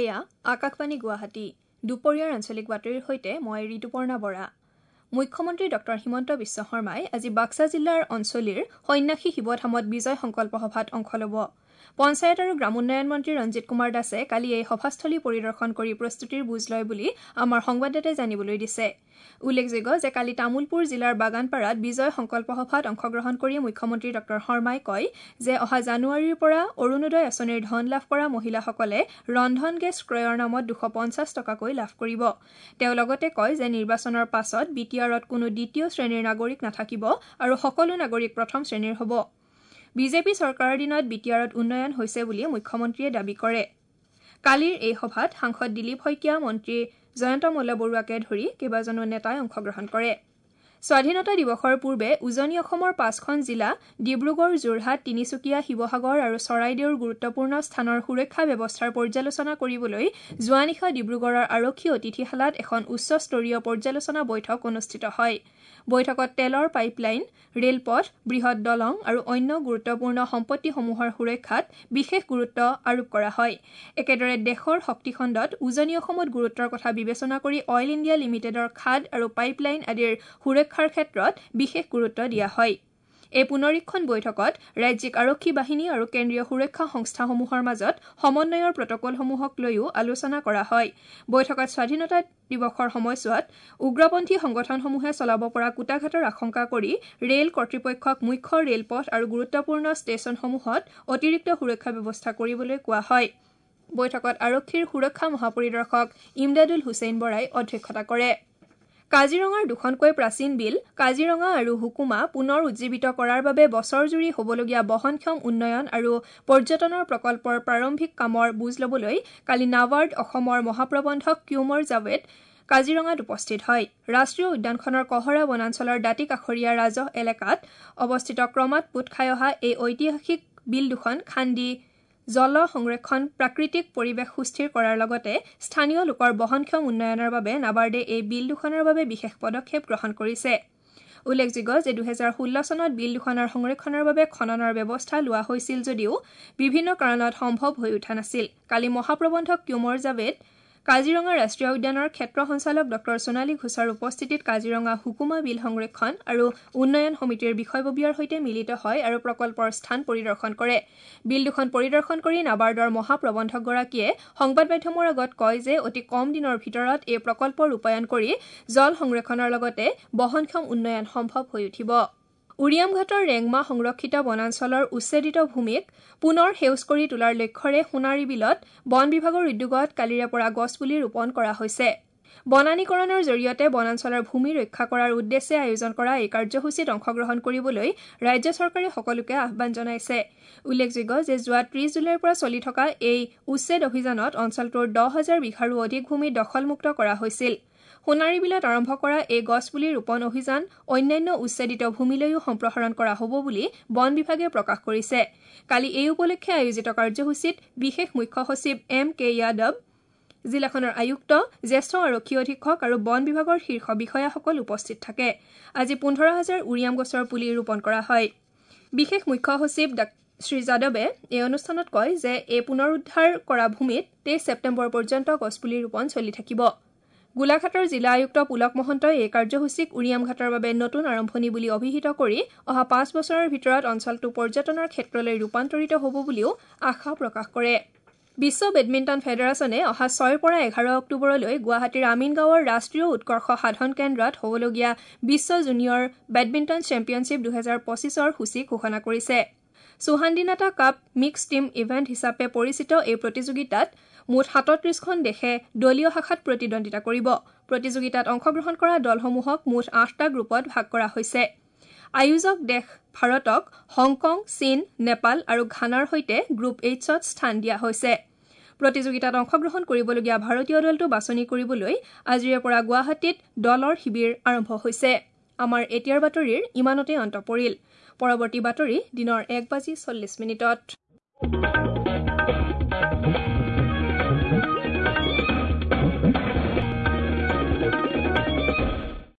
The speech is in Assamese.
এয়া আকাশবাণী গুৱাহাটী। দুপৰীয়াৰ আঞ্চলিক বাতৰিৰ সৈতে মই ঋতুপৰ্ণা বৰা। মুখ্যমন্ত্ৰী ডক্টৰ হিমন্ত বিশ্ব শৰ্মাই আজি বাক্সা জিলাৰ অঞ্চলিৰ সন্যাসী শিৱধামত বিজয় সংকল্প সভাত অংশ ল'ব। পঞ্চায়ত আৰু গ্ৰামোন্নয়ন মন্ত্ৰী ৰঞ্জিত কুমাৰ দাসে কালি এই সভাস্থলী পৰিদৰ্শন কৰি প্ৰস্তুতিৰ বুজ লয় বুলি আমাৰ সংবাদদাতাই জানিবলৈ দিছে। উল্লেখযোগ্য যে কালি তামুলপুৰ জিলাৰ বাগানপাৰাত বিজয় সংকল্প সভাত অংশগ্ৰহণ কৰি মুখ্যমন্ত্ৰী ডক্টৰ শৰ্মাই কয় যে অহা জানুৱাৰীৰ পৰা অৰুণোদয় আঁচনিৰ ধন লাভ কৰা মহিলাসকলে ৰন্ধন গেছ ক্ৰয়ৰ নামত 250 টকাকৈ লাভ কৰিব। তেওঁ লগতে কয় যে নিৰ্বাচনৰ পাছত বি টি আৰত কোনো দ্বিতীয় শ্ৰেণীৰ নাগৰিক নাথাকিব আৰু সকলো নাগৰিক প্ৰথম শ্ৰেণীৰ হ'ব। বিজেপি চৰকাৰৰ দিনত বি টি আৰত উন্নয়ন হৈছে বুলি মুখ্যমন্ত্ৰীয়ে দাবী কৰে। কালিৰ এই সভাত সাংসদ দিলীপ শইকীয়া, মন্ত্ৰী জয়ন্ত মল্ল বৰুৱাকে ধৰি কেইবাজনো নেতাই অংশগ্ৰহণ কৰে। স্বাধীনতা দিৱসৰ পূৰ্বে উজনি অসমৰ 5খন জিলা ডিব্ৰুগড়, যোৰহাট, তিনিচুকীয়া, শিৱসাগৰ আৰু চৰাইদেউৰ গুৰুত্বপূৰ্ণ স্থানৰ সুৰক্ষা ব্যৱস্থাৰ পৰ্যালোচনা কৰিবলৈ যোৱা নিশা ডিব্ৰুগড়ৰ আৰক্ষী অতিথিশালাত এখন উচ্চস্তৰীয় পৰ্যালোচনা বৈঠক অনুষ্ঠিত হয়। বৈঠকত তেলৰ পাইপলাইন, ৰেলপথ, বৃহৎ দলং আৰু অন্য গুৰুত্বপূৰ্ণ সম্পত্তিসমূহৰ সুৰক্ষাত বিশেষ গুৰুত্ব আৰোপ কৰা হয়। একেদৰে দেশৰ শক্তিখণ্ডত উজনি অসমত গুৰুত্বৰ কথা বিবেচনা কৰি অইল ইণ্ডিয়া লিমিটেডৰ খাদ আৰু পাইপলাইন আদিৰ সুৰক্ষাৰ ক্ষেত্ৰত বিশেষ গুৰুত্ব দিয়া হয়। এই পুনৰীক্ষণ বৈঠকত ৰাজ্যিক আৰক্ষী বাহিনী আৰু কেন্দ্ৰীয় সুৰক্ষা সংস্থাসমূহৰ মাজত সমন্বয়ৰ প্ৰটকলসমূহক লৈও আলোচনা কৰা হয়। বৈঠকত স্বাধীনতা দিৱসৰ সময়ছোৱাত উগ্ৰপন্থী সংগঠনসমূহে চলাব পৰা কূটাঘাতৰ আশংকা কৰি ৰেল কৰ্তৃপক্ষক মুখ্য ৰেলপথ আৰু গুৰুত্বপূৰ্ণ ষ্টেচনসমূহত অতিৰিক্ত সুৰক্ষা ব্যৱস্থা কৰিবলৈ কোৱা হয়। বৈঠকত আৰক্ষীৰ সুৰক্ষা মহাপৰিদৰ্শক ইমদাদুল হুছেইন বৰাই অধ্যক্ষতা কৰে। কাজিৰঙাৰ দুখনকৈ প্ৰাচীন বিল কাজিৰঙা আৰু হুকুমা পুনৰ উজ্জীৱিত কৰাৰ বাবে বছৰজুৰি হ'বলগীয়া বহনক্ষম উন্নয়ন আৰু পৰ্যটনৰ প্ৰকল্পৰ প্ৰাৰম্ভিক কামৰ বুজ ল'বলৈ কালি নাবাৰ্ড অসমৰ মহাপ্ৰবন্ধক কিউমৰ জাভেদ কাজিৰঙাত উপস্থিত হয়। ৰাষ্ট্ৰীয় উদ্যানখনৰ কহৰা বনাঞ্চলৰ দাঁতি কাষৰীয়া ৰাজহ এলেকাত অৱস্থিত ক্ৰমাৎ পোত খাই অহা এই ঐতিহাসিক বিল দুখন খান্দি জল সংৰক্ষণ, প্ৰাকৃতিক পৰিৱেশ সুস্থিৰ কৰাৰ লগতে স্থানীয় লোকৰ বহনক্ষম উন্নয়নৰ বাবে নাবাৰ্ডে এই বিল দুখনৰ বাবে বিশেষ পদক্ষেপ গ্ৰহণ কৰিছে। উল্লেখযোগ্য যে 2016 চনত বিল দুখনৰ সংৰক্ষণৰ বাবে খননৰ ব্যৱস্থা লোৱা হৈছিল যদিও বিভিন্ন কাৰণত সম্ভৱ হৈ উঠা নাছিল। কালি মহাপ্ৰবন্ধক কিউমৰ জাভেদ কাজিৰঙা ৰাষ্ট্ৰীয় উদ্যানৰ ক্ষেত্ৰ সঞ্চালক ডক্টৰ সোণালী ঘোষৰ উপস্থিতিত কাজিৰঙা হুকুমা বিল সংৰক্ষণ আৰু উন্নয়ন সমিতিৰ বিষয়ববীয়াৰ সৈতে মিলিত হয় আৰু প্ৰকল্পৰ স্থান পৰিদৰ্শন কৰে। বিল দুখন পৰিদৰ্শন কৰি নাবাৰ্ডৰ মহাপ্ৰবন্ধকগৰাকীয়ে সংবাদ মাধ্যমৰ আগত কয় যে অতি কম দিনৰ ভিতৰত এই প্ৰকল্প ৰূপায়ণ কৰি জল সংৰক্ষণৰ লগতে বহনক্ষম উন্নয়ন সম্ভৱ হৈ উঠিব। উৰিয়ামঘাটৰ ৰেংমা সংৰক্ষিত বনাঞ্চলৰ উচ্ছেদিত ভূমিক পুনৰ সেউজ কৰি তোলাৰ লক্ষ্যৰে সোণাৰী বিলত বন বিভাগৰ উদ্যোগত কালিৰে পৰা গছপুলি ৰোপণ কৰা হৈছে। বনানীকৰণৰ জৰিয়তে বনাঞ্চলৰ ভূমি ৰক্ষা কৰাৰ উদ্দেশ্যে আয়োজন কৰা এই কাৰ্যসূচীত অংশগ্ৰহণ কৰিবলৈ ৰাজ্য চৰকাৰে সকলোকে আহ্বান জনাইছে। উল্লেখযোগ্য যে যোৱা 30 জুলাইৰ পৰা চলি থকা এই উচ্ছেদ অভিযানত অঞ্চলটোৰ 10,000 বিঘাৰো অধিক ভূমি দখলমুক্ত কৰা হৈছিল। সোণাৰী বিলত আৰম্ভ কৰা এই গছপুলি ৰোপণ অভিযান অন্যান্য উচ্ছেদিত ভূমিলৈও সম্প্ৰসাৰণ কৰা হ'ব বুলি বন বিভাগে প্ৰকাশ কৰিছে। কালি এই উপলক্ষে আয়োজিত কাৰ্যসূচীত বিশেষ মুখ্য সচিব এম কে যাদৱ, জিলাখনৰ আয়ুক্ত, জ্যেষ্ঠ আৰক্ষী অধীক্ষক আৰু বন বিভাগৰ শীৰ্ষ বিষয়াসকল উপস্থিত থাকে। আজি 15,000 উৰিয়াম গছৰ পুলি ৰোপণ কৰা হয়। বিশেষ মুখ্য সচিব শ্ৰী যাদৱে এই অনুষ্ঠানত কয় যে এই পুনৰুদ্ধাৰ কৰা ভূমিত 23 ছেপ্টেম্বৰ পৰ্যন্ত গছপুলি ৰোপণ চলি থাকিব। গোলাঘাটৰ জিলা আয়ুক্ত পুলক মহন্তই এই কাৰ্যসূচীক উৰিয়ামঘাটৰ বাবে নতুন আৰম্ভণি বুলি অভিহিত কৰি অহা 5 বছৰৰ ভিতৰত অঞ্চলটো পৰ্যটনৰ ক্ষেত্ৰলৈ ৰূপান্তৰিত হ'ব বুলিও আশা প্ৰকাশ কৰে। বিশ্ব বেডমিণ্টন ফেডাৰেশ্যনে অহা 6ৰ পৰা 11 অক্টোবৰলৈ গুৱাহাটীৰ আমিনগাঁৱৰ ৰাষ্ট্ৰীয় উৎকৰ্ষ সাধন কেন্দ্ৰত হ'বলগীয়া বিশ্ব জুনিয়ৰ বেডমিণ্টন চেম্পিয়নশ্বিপ 2025ৰ সূচী ঘোষণা কৰিছে। Suhandynata cup mixed team event হিচাপে পৰিচিত এই প্ৰতিযোগিতাত মুঠ 37খন দেশে দলীয় শাখাত প্ৰতিদ্বন্দ্বিতা কৰিব। প্ৰতিযোগিতাত অংশগ্ৰহণ কৰা দলসমূহক মুঠ 8টা গ্ৰুপত ভাগ কৰা হৈছে। আয়োজক দেশ ভাৰতক হংকং, চীন, নেপাল আৰু ঘানাৰ সৈতে গ্ৰুপ এইচত স্থান দিয়া হৈছে। প্ৰতিযোগিতাত অংশগ্ৰহণ কৰিবলগীয়া ভাৰতীয় দলটো বাছনি কৰিবলৈ আজিৰে পৰা গুৱাহাটীত দলৰ শিবিৰ আৰম্ভ হৈছে। আমাৰ এতিয়াৰ বাতৰিৰ ইমানতে অন্ত পৰিল। পৰৱৰ্তী বাতৰি দিনৰ 1:40।